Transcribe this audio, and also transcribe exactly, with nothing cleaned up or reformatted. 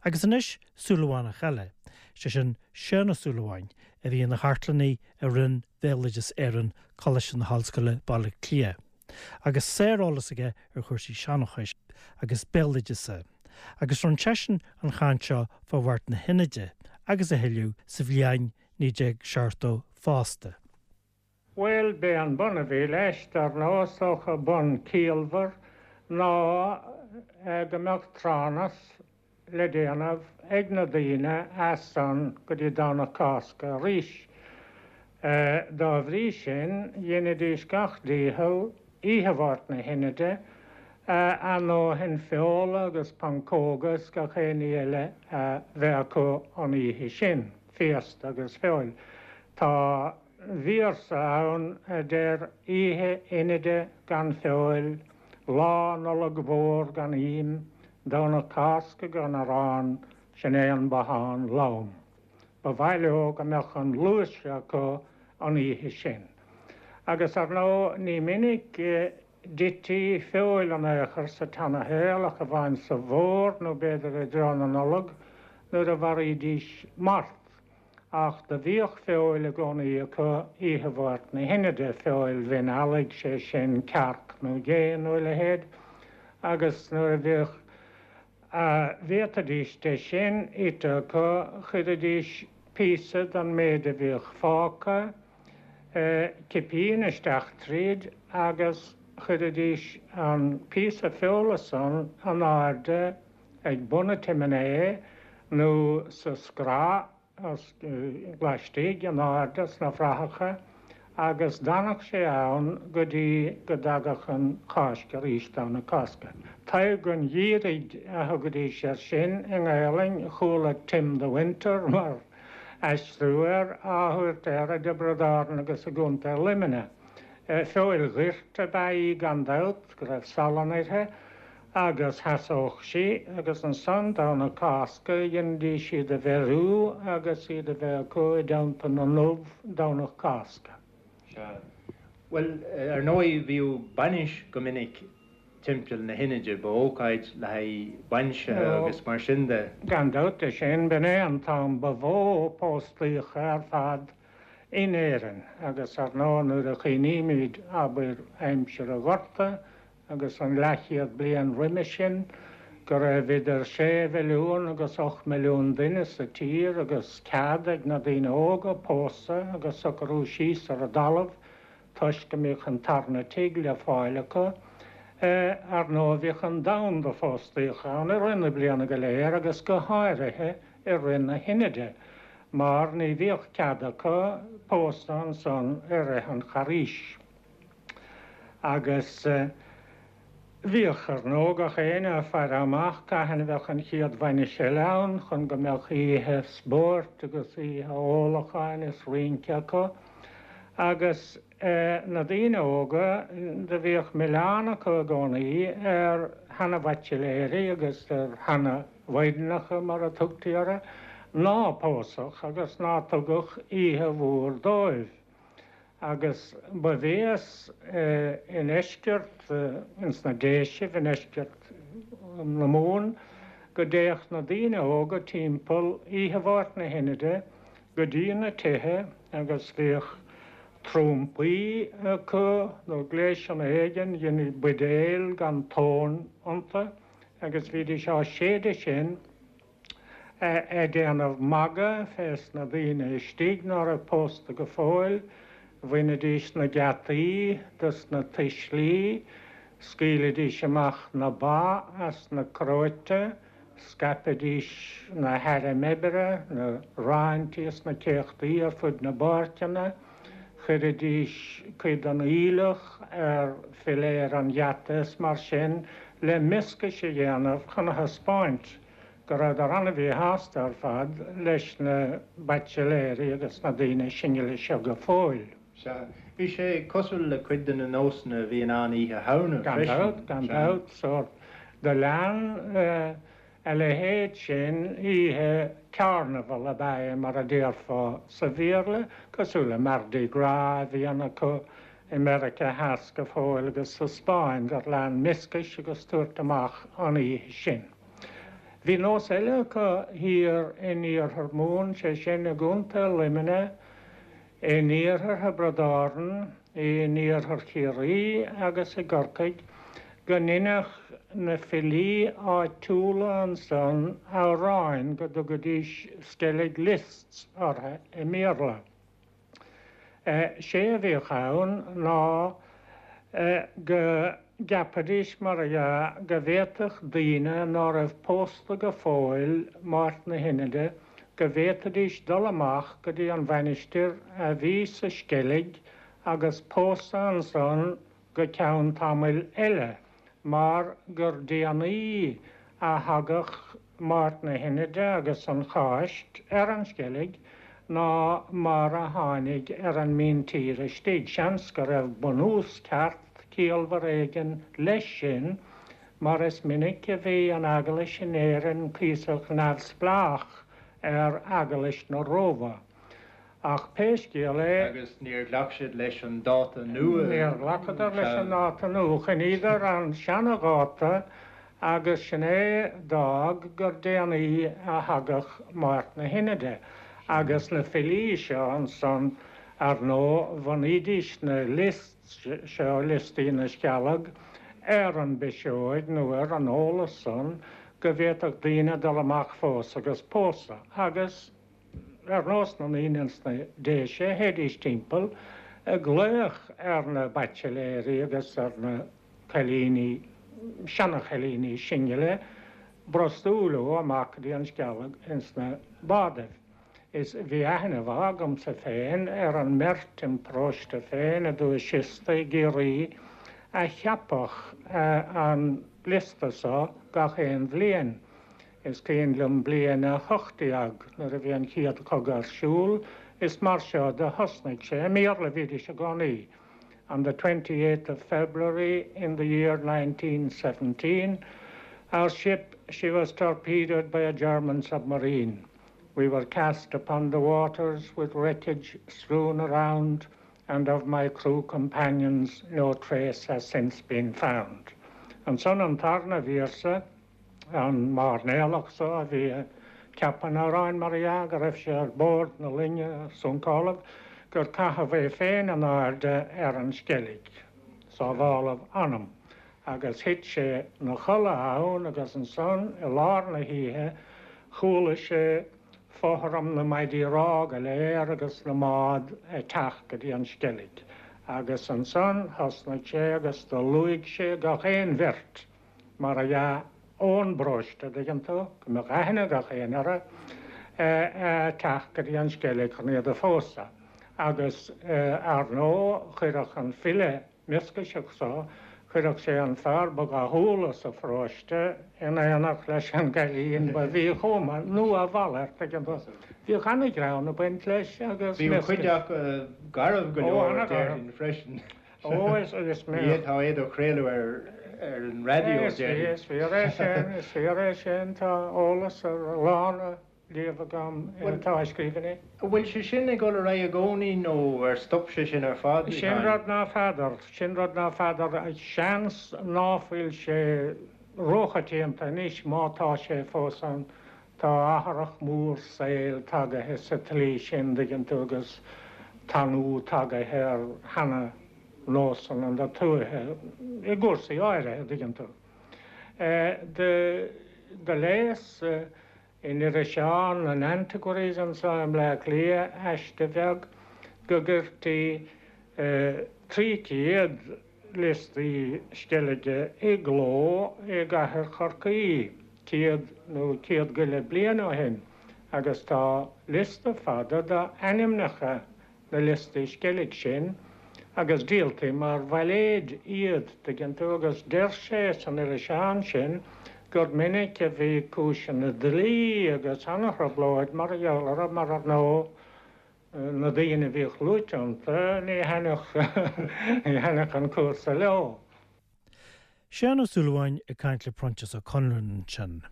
Agus anois Súilleabhánach eile, sé sin Seán Ó Súilleabháin a bhí ina chartlannaí i Roinn Bhéaloideas Éireann Coláiste na hOllscoile Baile Átha Cliath. Agus sáreolas aige ar chúrsaí seanchais agus béaloideasa. Agus rinne seisean an chaint seo fá Mháirt na hInide agus a thuilleadh sa bhliain naoi déag seachtó fosta. Well b'é an bun a bhí leis dar ndóigh is dócha bun ciallmhar ná go mbeadh tránas le déanamh ag na daoine as san go dtí Domhnach Cásca arís. Dá bhrí sin dheinidís gach dícheall oíche Mháirt na hInide a ndóthain feola agus pancóga is gach aon ní eile a bheith acu an oíche sin, féasta agus feoil. Tá véarsa ann a deir oíche Inide gan feoil, lá Nollag mhór gan ím, Domhnach Cásca gan arán, sin é an bothán lom. Ba mhaith leo go mbeadh an luas acu an oíche sin. Agus ar ndóigh ní minic d'ití feoil in aon chor sa tseanashaol ach amháin sa bhfómhar nó b'fhéidir i dtráth na Nollag nuair a mharaídís mart. Ach do bhíodh feoil i gcónaí acu oíche Mháirt na hInide feoil mhin eallaigh sé sin cearc nó gé nó a leithéid, agus nuair a bhíodh a bhféadfaidís de sin ite acu chuiridís píosa den méid a bhíodh fágtha, cipín isteach tríd agus chuiridís an píosa feola san in airde ag bun an tsiúinéir nó sa scraith laistigh in airde sna frathacha agus d'fhanadh sé ann go dtí go dtagadh an Cháisc arís Domhnach Cásca. Tadhg an Gheimhridh a thugaidís air sin i nGaelainn chuala Tim the Winter mar aistriú air á thabhairt air i dTiobraid Árann agus i gContae Luimnigh. Feoil ghoirt ab ea í gan dabht go raibh salann uirthi agus sheasódh sí agus ansan Domhnach Cásca dheinidís iad a bheiriú agus iad a bheith acu i dteannta na n-ubh Domhnach Cásca. Well ar ndóigh bhíodh bainis go minic timpeall na hInide ba ócáid le haghaidh bainise agus mar sin de. Gan dabht é sin b'in é an t-am ba mhó póstaíocha ar fad in Éirinn agus ar ndóigh nuair a chuimhnímid abair aimsir an Ghorta agus an leathchéad bliain roimhe sin go raibh idir sé mhilliún agus ocht milliún duine sa tír agus cead ag na daoine óga pósadh agus socrú síos ar an dtalamh toisc go mbíodh an tarna tigh le fáil acu. Ar ndóigh bhíodh an domhan de phóstaíocha ann i rith na bliana go léir agus go háirithe i rith na hInide, mar ní bhíodh cead acu pósadh ansan i rith an Charghais. Agus bhíodh ar ndóigh gach éinne ag faire amach cathain a bheadh an chéad bhainis eile ann chun go mbeadh oíche spóirt agus oíche ólacháin is rince acu. Agus na daoine óga do bhíodh milleán acu i gcónaí ar sheana-bhaitsiléirí agus ar sheana-mhaighdeanacha mar a tugtaí orthu, ná pósadh agus ná tugadh oíche mhór dóibh. Agus ba bhéas i ndeisceart ins na Déisibh i ndeisceart na Mumhan go dtéadh na daoine óga timpeall oíche Mháirt na hInide go dtí na tithe agus bhíodh trumpaí acu nó gléasanna éigin dheiní buidéil gan tóin iontu agus bhídís á séideadh sin ag déanamh magadh fés na daoine istigh ná raibh pósta go fóill, bhainidís na geataí dos na tuislí, scaoilidís amach na ba as na cróite, scaipidís na hairm oibre, na raintí is na céachtaí ar fud na bpáirceanna, chuiridís cuid den aoileach ar philéar an gheata is mar sin le mioscais a dhéanamh chun a thaispeáint go rabhadar an-mhíshásta ar fad leis na baitsiléirí agus na daoine singile seo go fóill. Sea, bhí sé cosúil le cuid de na nósanna a bhí in ann Oíche Shamhna Gan dabht, gan dabht, sórt do lean a leithéid sin oíche carnival ab ea é mar a déarfá sa Bhéarla, cosúil le Mardi Gras a bhíonn acu i Meiriceá Theas go fóill agus sa Spáinn gur lean mioscais agus tabhairt amach an oíche sin. Bhí nós eile acu thiar in iarthar Mumhan, sé sin i gContae Luimnigh, in iarthar Thiobraid Árann, in iarthar Chiarraí agus i gCorcaigh, go ndeineadh na filí áitiúla ansan amhráin go dtugaidís Skellig lists orthu i mBéarla. Sé a bhíodh ann ná go gceapaidís mar a dhea go bhféadfadh daoine ná raibh pósta go fóill Máirt na hInide go bhféadfaidís dul amach go dtí an mhainistir a bhí sa Sceilg agus pósadh ansan go ceann tamaill eile mar gur déanaí a thagadh Máirt na hInide agus an Cháisc ar an Sceilg ná mar a tháinig ar an míntír istigh. Seans go raibh bunús ceart ciallmhar éigin leis sin mar is minic a bhí an Eaglais in Éirinn cuíosach neamhspleách ar Eaglais na Róimhe. Ach pé scéal é. Agus níor ghlac siad leis an dáta nua. Níor ghlacadar leis an dáta nua. Choinníodar an seanadháta agus sin é d'fhág gur déanaí a thagadh Máirt na hInide. Agus na filí seo ansan, ar ndóigh, bhunaídís na lists seo, liostaí na Scealg, ar an bpiseoig nó ar an eolas san go bhféadfadh daoine dul amach fós agus pósadh. Agus. Ar nós na ndaoine ins na Déise, théidís timpeall ag glaoch ar na baitsiléirí agus ar na cailíní, seana-chailíní singile, brostú leo amach go dtí an Sceilg ins na bádaibh. Is bhí aithne mhaith agamsa féin ar an mbeirt im paróiste féin i dTuath Siosta i gCiarraí a cheapadh an liosta so gach aon bhliain. Is cuimhin liom bliain a hocht déag nuair a bhí an chéad chogadh ar siúl, is mar seo do thosnaigh sé, i mBéarla a bhídís i gcónaí, On the twenty eighth of February in the year nineteen seventeen, our ship, she was torpedoed by a German submarine. We were cast upon the waters with wreckage strewn around and of my crew companions no trace has since been found. Ansan an tarna véarsa, An mairnéalach so a bhí ag ceapadh an amhráin, mar dhea, go raibh sé ar bord na loinge a suncáladh, gur caitheadh é féin in airde ar an Sceilg, sábháladh a anam, agus thit sé 'na chodladh ann agus ansan i lár na hoíche chuala sé fothram na maidí rámha go léir agus na mbád ag teacht go dtí an Sceilg agus ansan thosnaigh sé agus do luaigh sé gach aon bheirt mar a dhea, ón bparóiste, an dtuigeann tú, go mbeadh aithne ag gach éinne orthu, ag teacht go dtí an Sceilg chun iad a phósadh. Agus, ar ndóigh, chuirfeadh an file mioscaiseach so, chuirfeadh sé an fear ba dhathúla sa pharóiste in éineacht leis an gcailín ba mhíchuma, nó a mhalairt, tuigeann tú. Bhíodh an-ghreann ag baint leis agus Bhíodh cuid acu garbh go leor, déarfainn, freisin. Ó, is, is mé. Ní fhéadfá é do chraoladh ar, ar an raidió, Is, déarfainn. is fíor é sin, is fíor é sin, tá eolas ar a lán á léamh agam Bhuel, atá i scríbhinní. an bhfuil sé sin ag dul ar aghaidh i gcónaí nó ar stop sé sin ar fad, a Sin Sheáin? rud ná feadar, sin rud ná feadar, seans ná fuil sé róchoitianta anois má tá sé fós ann. Tá athrach mór saoil tagaithe sa tslí sin, dtuigeann tú, agus tanú tagaithe ar sheana-nósanna na tuaithe i gcúrsaí áirithe, dtuigeann tú. Do léas in iriseán an Antiquaries anso i mBleá Cliath aiste bheag go gcuirtí trí chéad liostaí sceilge i gcló i gcathair Chorcaí céad nó céad go leith bliain ó shin agus tá liosta fada d'ainmneacha na liostaí sceilg sin agus díoltaí mar bhailéid iad, tuigeann tú, agus deir sé san iriseán sin gur minic a bhí cúiseanna dlí agus ana-thrioblóid mar gheall orthu mar ar ndóigh na daoine a bhíodh luaite iontu, ní thaitneodh an cúrsa leo. Seán Ó Súilleabháin ag caint le Proinsias Ó Conluain ansin.